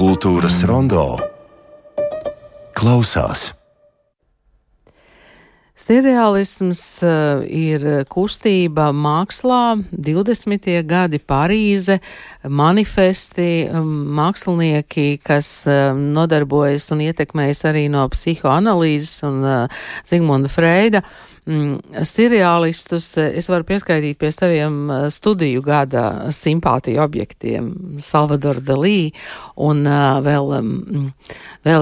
Kultūras rondo klausās. Sirreālisms ir kustība mākslā, 20. gadi, Parīze, manifesti, mākslinieki, kas nodarbojas un ietekmējas arī no psihoanalīzes un Zigmunda Freida. Sirreālistus es varu pieskaitīt pie saviem studiju gada simpātiju objektiem, Salvador Dalī un vēl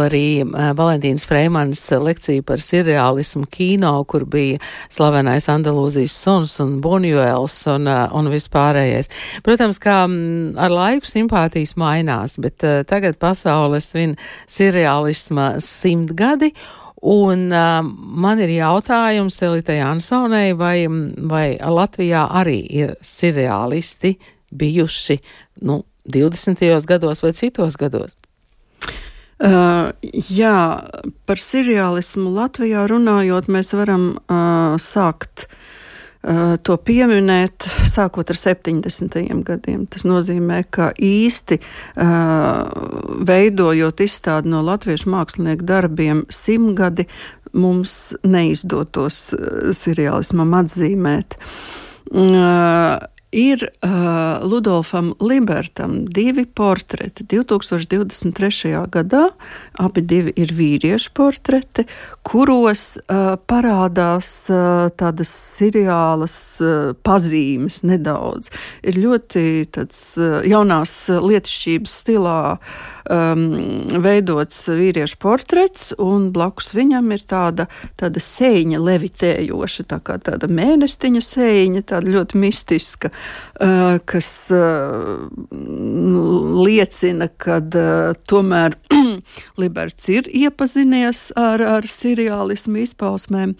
arī Valentīnas Freimanas lekcija par sirreālismu kino, kur bija slavenais Andalūzijas suns un Buņuels un vispārējais. Protams, kā ar laiku simpātijas mainās, bet tagad pasaule svin sirreālisma 100 gadi. Un man ir jautājums Elitai Ansonei, vai Latvijā arī ir sirreālisti bijuši 20. gados vai citos gados? Jā, par sirreālismu Latvijā runājot, mēs varam sākt to pieminēt sākot ar 70. gadiem. Tas nozīmē, ka īsti veidojot izstādi no latviešu mākslinieku darbiem 100 gadi mums neizdotos sirreālismam atzīmēt. Ir Ludolfam Libertam 2 portreti 2023. gadā, abi divi ir vīriešu portreti, kuros parādās tādas sirreālas pazīmes nedaudz. Ir ļoti tāds jaunās lietišķības stilā veidots vīriešu portrets, un blakus viņam ir tāda sēņa levitējoša, tā kā tāda mēnestiņa sēņa, tāda ļoti mistiska, kas liecina, ka tomēr Liberts ir iepazinies ar sirreālismu izpausmēm.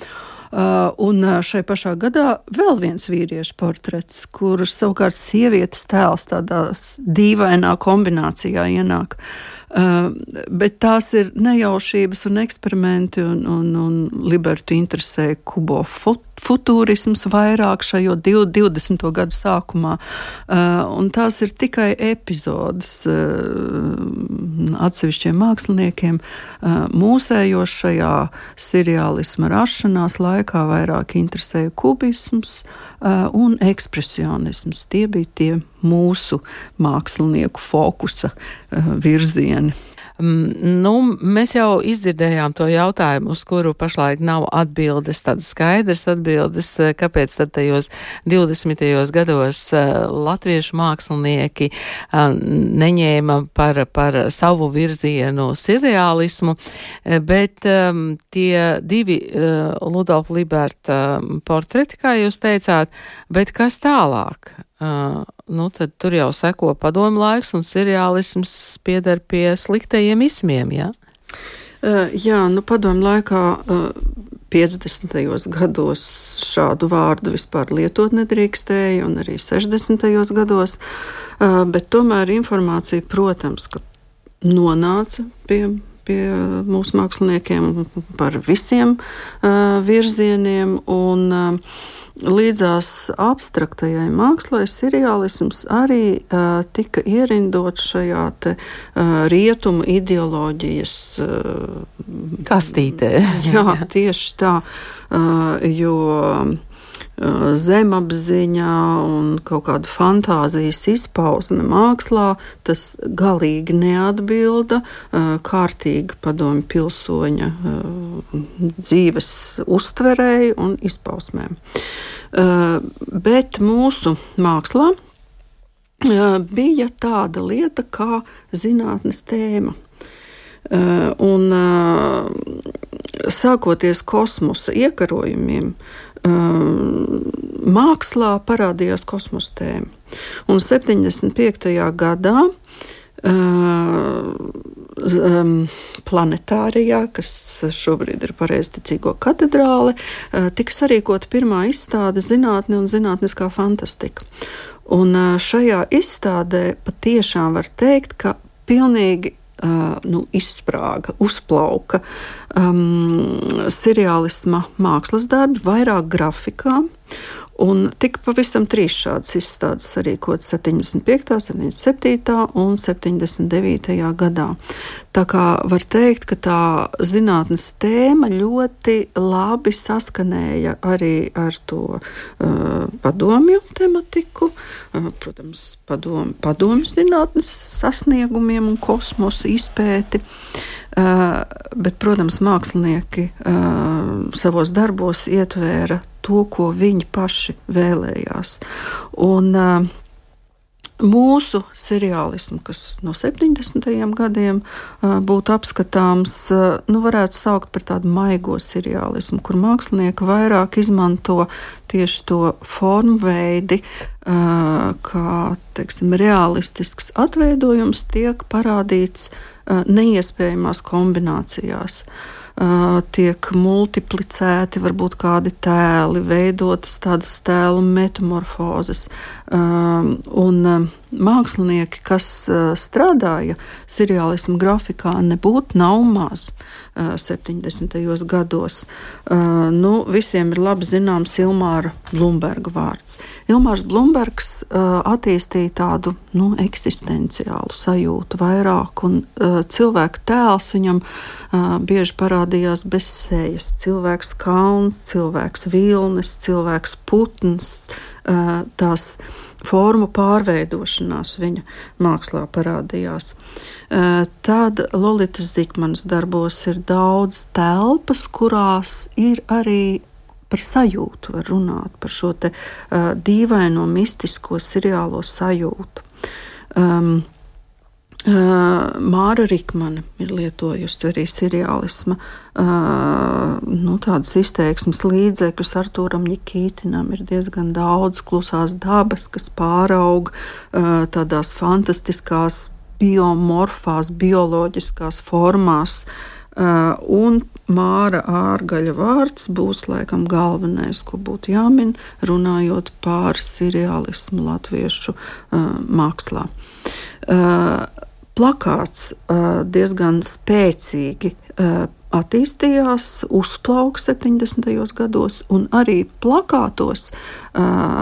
Un šai pašā gadā vēl viens vīriešu portrets, kur savukārt sievietes tēls tādā dīvainā kombinācijā ienāk. Bet tās ir nejaušības un eksperimenti, un Libertu interesē kubo futūrisms vairāk šajo 20. gadu sākumā. Un tās ir tikai epizodes atsevišķiem māksliniekiem. Mūsējos šajā sirreālisma rašanās laikā vairāk interesēja kubisms un ekspresionisms. Tie bija tie mūsu mākslinieku fokusa virzieni. Mēs jau izdzirdējām to jautājumu, uz kuru pašlaik nav atbildes, tādas skaidras atbildes, kāpēc tad tajos 20. gados latviešu mākslinieki neņēma par savu virzienu sirreālismu, bet tie 2 Ludolfa Liberta portreti, kā jūs teicāt, bet kas tālāk? Tad tur jau seko padomu laiks, un sirreālisms pieder pie sliktajiem ismiem, jā? Jā, padomu laikā 50. gados šādu vārdu vispār lietot nedrīkstēja, un arī 60. gados, bet tomēr informācija, protams, ka nonāca pie mūsu māksliniekiem par visiem virzieniem, un līdzās abstraktajai mākslai sirreālisms arī tika ierindots šajā rietumu ideoloģijas kastītē. Jā, tieši tā, jo zemapziņā un kaut kāda fantāzijas izpausme mākslā, tas galīgi neatbilda kārtīga padomju pilsoņa dzīves uztverēji un izpausmēm. Bet mūsu mākslā bija tāda lieta kā zinātnes tēma. Un sākoties kosmosa iekarojumiem, mākslā parādījās kosmosa tēma. Un 75. gadā Planetārijā, kas šobrīd ir Pareizticīgo katedrāle, tika sarīkota pirmā izstāde zinātne un zinātniskā fantastika. Un šajā izstādē patiešām var teikt, ka pilnīgi izsprāga, uzplauka sirreālisma mākslas darbi, vairāk grafikā, Un tika pavisam 3 šādas izstādes sarīkotas 75., 77. un 79. gadā. Tā kā var teikt, ka tā zinātnes tēma ļoti labi saskanēja arī ar to padomju tematiku, protams, padomju zinātnes sasniegumiem un kosmosa izpēti. Bet, protams, mākslinieki savos darbos ietvēra to, ko viņi paši vēlējās. Un mūsu seriālismu, kas no 70. gadiem būtu apskatāms, varētu saukt par tādu maigo seriālismu, kur mākslinieki vairāk izmanto tieši to formveidi, kā, teiksim, realistisks atveidojums tiek parādīts neiespējamās kombinācijās. Tiek multiplicēti varbūt kādi tēli, veidotas tādas tēlu metamorfozes. Un mākslinieki, kas strādāja seriālismu grafikā, nebūtu nav maz 70. gados. Visiem ir labi zināms Ilmāra Blumberga vārds. Ilmārs Blumbergs attīstīja tādu eksistenciālu sajūtu vairāk, un cilvēka tēls viņam bieži parādījās bez sejas. Cilvēks kalns, cilvēks vilnis, cilvēks putns, tās formu pārveidošanās viņa mākslā parādījās. Tad Lolitas Zikmanas darbos ir daudz telpas, kurās ir arī par sajūtu var runāt, par šo te dīvaino, mistisko seriālo sajūtu. Māra Rikmane ir lietojusi arī seriālisma tādas izteiksmes līdzekļus. Artūram Ņikītinam ir diezgan daudz klusās dabas, kas pāraug tādās fantastiskās biomorfās, bioloģiskās formās. Un Māra Ārgaļa vārds būs laikam galvenais, ko būtu jāmin, runājot par seriālismu latviešu mākslā. Plakāts diezgan spēcīgi attīstījās, uzplauka 70. gados, un arī plakātos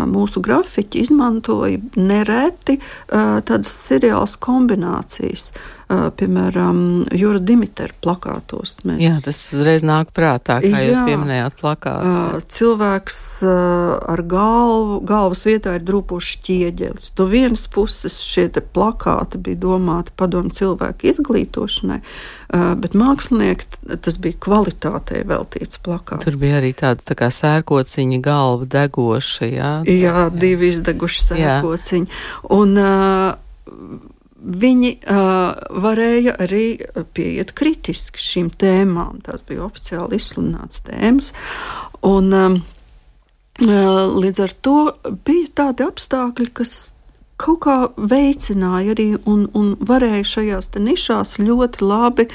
mūsu grafiķi izmantoja nereti tādas seriālas kombinācijas. Piemēram, Jura Dimitera plakātos. Jā, tas uzreiz nāk prātā, kā jūs pieminējāt plakātus. Cilvēks ar galvas vietā ir drūpošs ķieģelis. No vienas puses šie te plakāti bija domāti padomu cilvēku izglītošanai, bet mākslinieki, tas bija kvalitātei veltīts plakāts. Tur bija arī tāds tā kā sērkociņa galva degoša, jā? Jā, divi izdeguši sērkociņi. Un viņi varēja arī pieiet kritiski šīm tēmām. Tās bija oficiāli izsludinātas tēmas. Un līdz ar to bija tādi apstākļi, kas kaut kā veicināja arī un varēja šajās te nišās ļoti labi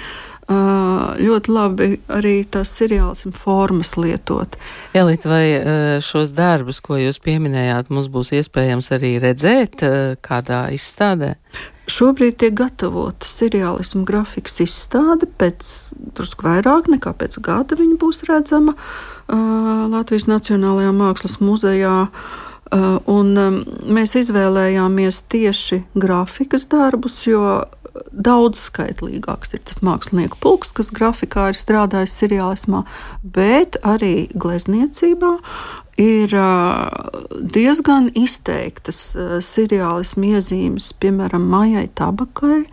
arī tās seriālismu formas lietot. Elita, vai šos darbus, ko jūs pieminējāt, mums būs iespējams arī redzēt kādā izstādē? Šobrīd tiek gatavota seriālismu grafikas izstāde, pēc drusku vairāk nekā pēc gada viņa būs redzama Latvijas Nacionālajā mākslas muzejā. Un mēs izvēlējāmies tieši grafikas darbus, jo daudz skaitlīgāks ir tas mākslinieku pulks, kas grafikā ir strādājis seriālismā, bet arī glezniecībā ir diezgan izteiktas seriālismu iezīmes, piemēram, Maijai Tabakai.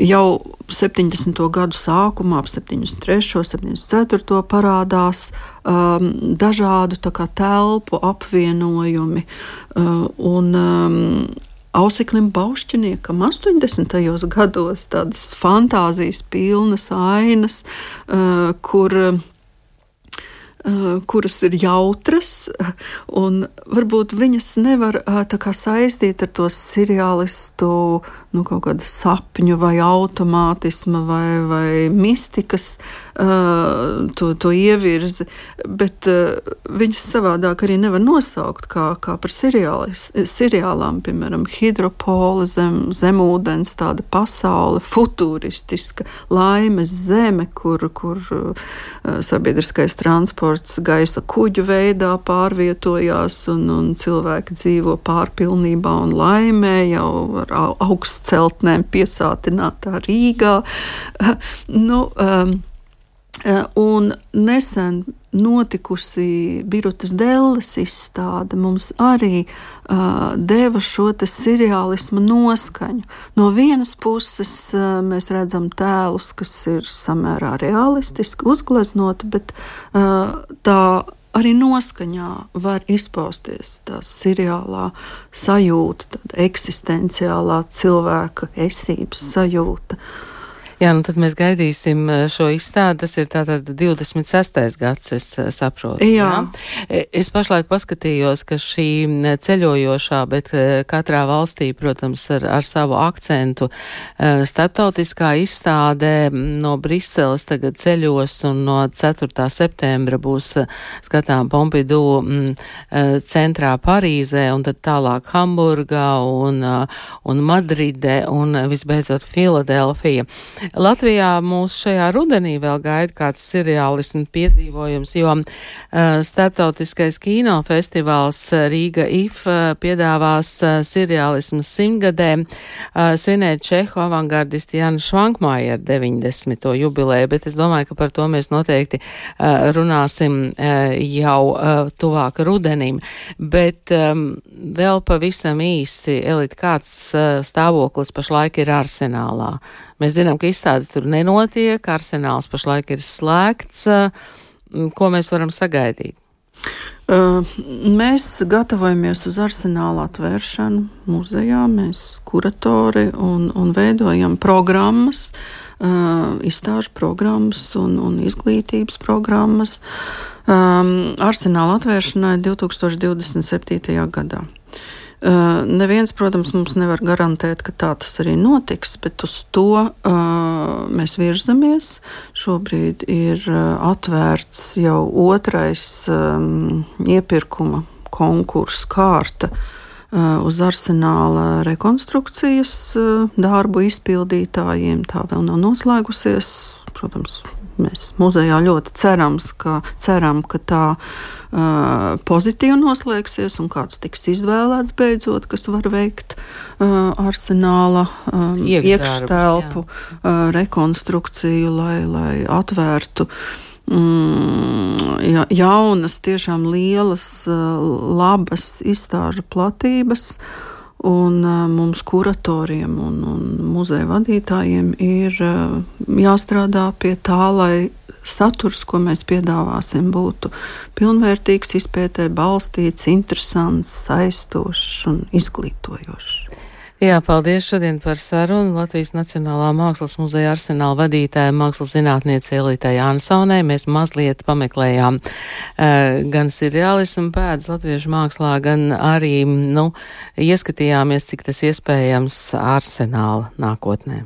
Jau 70. gadu sākumā, ap 73., 74. parādās dažādu tā kā telpu apvienojumi un Ausiklim Baušķiniekam 80. gados tādas fantāzijas pilnas ainas, kuras ir jautras, un varbūt viņas nevar tā kā saistīt ar to seriālistu kaut kāda sapņu vai automātisma vai mistikas to ievirzi, bet viņas savādāk arī nevar nosaukt kā par seriālām, piemēram, Hidropola, zemūdens, tāda pasaule, futuristiska, laimes zeme, kur sabiedriskais transports gaisa kuģu veidā pārvietojās un cilvēki dzīvo pārpilnībā un laimē jau ar augstceltnēm piesātinātā Rīgā. Un nesen notikusi Birutas Delles izstāde mums arī deva šo te seriālisma noskaņu. No vienas puses mēs redzam tēlus, kas ir samērā realistiski uzgleznoti, bet tā arī noskaņā var izpausties tā seriālā sajūta, tāda eksistenciālā cilvēka esības sajūta. Jā, tad mēs gaidīsim šo izstādi. Tas ir tātad 26. gads, es saprotu. Jā. Es pašlaik paskatījos, ka šī ceļojošā, bet katrā valstī, protams, ar savu akcentu starptautiskā izstāde no Briseles tagad ceļos un no 4. septembra būs skatām Pompidou centrā Parīzē un tad tālāk Hamburgā un Madride un visbeidzot Filadelfija. Latvijā mūs šajā rudenī vēl gaida kāds seriālismu piedzīvojums, jo starptautiskais kino festivāls Rīga IF piedāvās seriālismu 100-gadē svinēt čehu avangardisti Jana Švankmajer 90. jubileju, bet es domāju, ka par to mēs noteikti runāsim jau tuvāk rudenim. Bet vēl pavisam īsi, Elita, kāds stāvoklis pašlaik ir Arsenālā? Mēs zinām, ka izstādes tur nenotiek, Arsenāls pašlaik ir slēgts. Ko mēs varam sagaidīt? Mēs gatavojamies uz Arsenāla atvēršanu muzejā, mēs kuratori un veidojam programmas, izstāžu programmas un izglītības programmas Arsenāla atvēršanai 2027. gadā. Neviens, protams, mums nevar garantēt, ka tā tas arī notiks, bet uz to mēs virzamies. Šobrīd ir atvērts jau otrais iepirkuma konkursu kārta uz Arsenāla rekonstrukcijas darbu izpildītājiem. Tā vēl nav noslēgusies. Protams, mēs muzejā ļoti ceram, ka tā pozitīvi noslēgsies un kāds tiks izvēlēts beidzot, kas var veikt Arsenāla iekštelpu rekonstrukciju, lai atvērtu jaunas, tiešām lielas, labas izstāžu platības. Un mums kuratoriem un muzeja vadītājiem ir jāstrādā pie tā, lai saturs, ko mēs piedāvāsim, būtu pilnvērtīgs, izpētē balstīts, interesants, saistošs un izglītojošs. Jā, paldies šodien par sarunu Latvijas Nacionālā Mākslas muzeja Arsenāla vadītāja mākslas zinātniece Elitai Jansonai. Mēs mazliet pameklējām gan seriālismu pēdas latviešu mākslā, gan arī, ieskatījāmies, cik tas iespējams Arsenāla nākotnē.